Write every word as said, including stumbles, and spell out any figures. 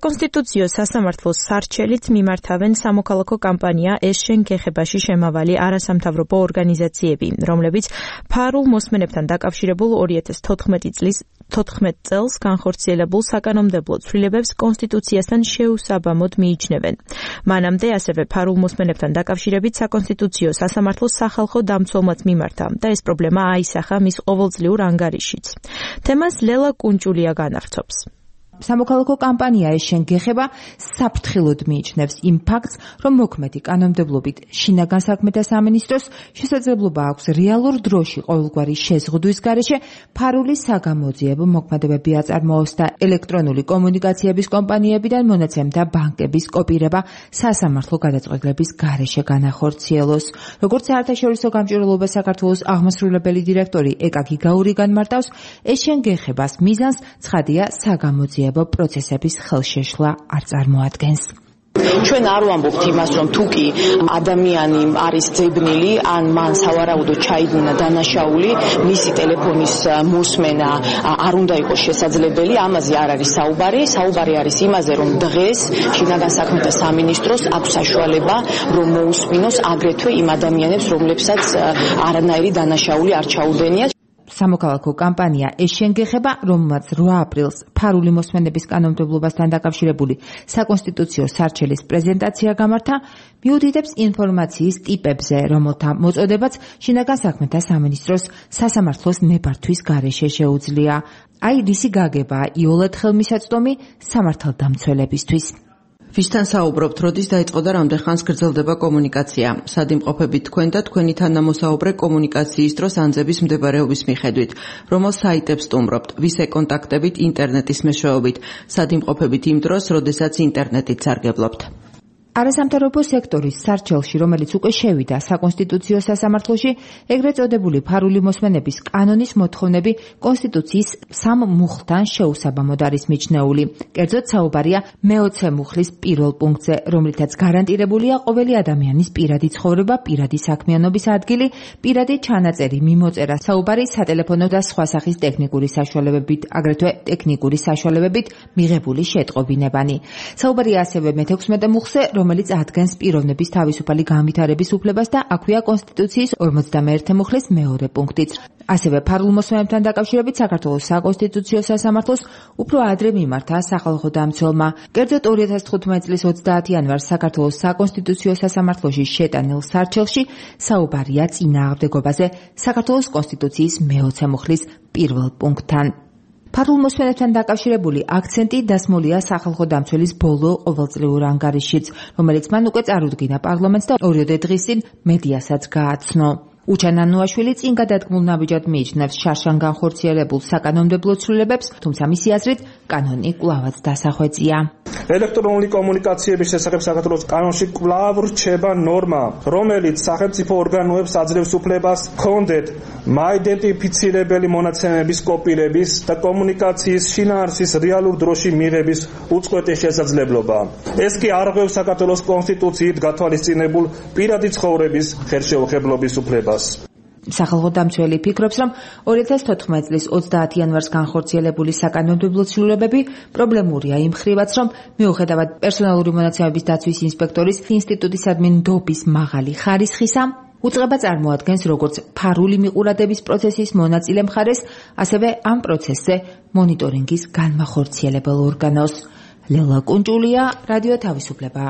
საკონსტიტუციო სასამართლოს სარჩელით მიმართავენ სამოქალაქო კამპანია ეს შენ გეხებაში შემავალი არასამთავრობო ორგანიზაციები, რომლებიც ფარულ მოსმენებთან დაკავშირებულ ორი ათას თოთხმეტი წლის თოთხმეტ წელს განხორციელებულ საკანონმდებლო ცვლილებებს კონსტიტუციასთან შეუსაბამოდ მიიჩნევენ. მანამდე ასევე ფარულ მოსმენებთან დაკავშირებით საკონსტიტუციო სასამართლოს სახალხო დამცველმაც მიმართა და ეს პრობლემა აისახა მის ყოველწლიურ ანგარიშშიც. თემას ლელა კუნჭულია განახცობს. სამოქალაქო კამპანია ეს შენ გეხება საფრთხილოდ მიიჩნევს იმ ფაქტს, რომ მოქმედი კანონმდებლობით შინაგან საქმეთა სამინისტროს შესაძლებლობა აქვს რეალურ დროში ყოველგვარი შეზღუდვის გარეშე ფარული საგამოძიებო მოქმედებები აწარმოოს და ელექტრონული კომუნიკაციების კომპანიებიდან მონაცემთა ბანკების კოპირება სასამართლო გადაწყვეტილების გარეშე განახორციელოს. როგორც საერთაშორისო გამჭვირვალობა საქართველოს აღმასრულებელი დირექტორი ეკა გიგაური განმარტავს, ეს შენ გეხებას მიზანს ცხადია საგამოძიებო პროცესების ხელშეშლა არ წარმოადგენს. ჩვენ არ ვამბობთ იმას, რომ თუ კი ადამიანი არის ძებნილი, ან მან სავარაუდოდ ჩაიდინა დანაშაული, მისი ტელეფონის მოსმენა არ უნდა იყოს შესაძლებელი, ამაზე არ არის საუბარი. საუბარი არის იმაზე, რომ დღეს შინაგან საქმეთა სამინისტროს აქვს საშუალება, რომ მოусმინოს აგრეთვე იმ ადამიანებს, რომლებსაც არანაირი დანაშაული არ ჩაუდენიათ. სამოქალაქო კამპანია ეს შენ გეხება, რომელმაც რვა აპრილს ფარული მოსმენების კანონმდებლობასთან დაკავშირებული საკონსტიტუციო სარჩელის პრეზენტაცია გამართა, მიუთითებს ინფორმაციის ტიპებზე, რომელთა მოწოდებაც შინაგან საქმეთა სამინისტროს სასამართლოს ნებართვის გარეშე შეუძლია. აი რისი გაგებაა იოლად ხელმისაწვდომი სამართალდამცველებისთვის. ვისთან საუბრობთ, როდის დაიწყო და რამდენ ხანს გრძელდება კომუნიკაცია? სად იმყოფებით თქვენ და თქვენი თანამოსაუბრე კომუნიკაციის დროს ანძების მდებარეობის მიხედვით? რომელ საიტებს სტუმრობთ? ვის ეკონტაქტებით ინტერნეტის მეშვეობით? სად იმყოფებით იმ დროს, როდესაც ინტერნეტით სარგებლობთ? არასამთავრობო სექტორის სარჩელში, რომელიც უკვე შევიდა საკონსტიტუციო სასამართლოში, ეგრეთ წოდებული ფარული მოსმენების კანონის მოთხოვნები კონსტიტუციის სამ მუხლთან შეუსაბამოდ არის მიჩნეული. კერძოდ საუბარია მეოცე მუხლის პირველ პუნქტზე, რომლითაც გარანტირებულია ყოველი ადამიანის პირადი ცხოვრება, პირადი საქმიანობის ადგილი, პირადი ჩანაწერი, მიმოწერა, საუბარი სატელეფონო და სხვა სახის ტექნიკური საშუალებებით, აგრეთვე ტექნიკური საშუალებებით მიღებული შეტყობინებანი. საუბარია ასევე მეთექვსმეტე მუხლზე, რომელიც ადგენს პიროვნების თავისუფალი განვითარების უფლებას და აქვეა კონსტიტუციის ორმოცდამეერთე მუხლის მეორე პუნქტიც. ასევე ფარულ მოსმენებთან დაკავშირებით საქართველოს საკონსტიტუციო სასამართლოს უფრო ადრე მიმართა სახალხო დამცველმა. კერძოდ ორი ათას თხუთმეტი წლის ოცდაათი იანვარს საქართველოს საკონსტიტუციო სასამართლოში შეტანილ სარჩელში საუბარია წინააღმდეგობაზე საქართველოს კონსტიტუციის მეოცე მუხლის პირველ პუნქტთან. ფარულ მოსმენებთან დაკავშირებული აქცენტი დასმულია სახალხო დამცველის ბოლო ყოველწლიურ ანგარიშშიც, რომელიც მან უკვე წარუდგინა პარლამენტს და ორიოდე დღის წინ მედიასაც გააცნო. უჩან ანუაშვილი წინ გადადგმულ ნაბიჯად მიიჩნევს შარშან განხორციელებულ საკანონმდებლო ცვლილებებს, თუმცა მისი აზრით კანონი კვლავაც დასახვეწია. ელექტრონული კომუნიკაციების შესახებ საქართველოს კანონში კვლავ რჩება ნორმა, რომელიც სახელმწიფო ორგანოებს აძლევს უფლებას ჰქონდეთ მაიდენტიფიცირებელი მონაცემების კოპირების და კომუნიკაციის შინაარსის რეალურ დროში მიღების უწყვეტი შესაძლებლობა. ეს კი არღვევს საქართველოს კონსტიტუციით გათვალისწინებულ პირადი ცხოვრების ხელშეუხებლობის უფლებას. სახალხო დამცველი ფიქრობს, რომ ორი ათას თოთხმეტი წლის ოცდაათი იანვარს განხორციელებული საკანონმდებლო ცვლილებები პრობლემურია იმ მხრივაც, რომ მიუხედავად პერსონალური მონაცემების დაცვის ინსპექტორის ინსტიტუტისადმი ნდობის მაღალი ხარისხისა, უწყება წარმოადგენს როგორც ფარული მიყურადების პროცესის მონაწილე მხარეს, ასევე ამ პროცესზე მონიტორინგის განმახორციელებელ ორგანოს. ლელა კუნჭულია, რადიო თავისუფლება.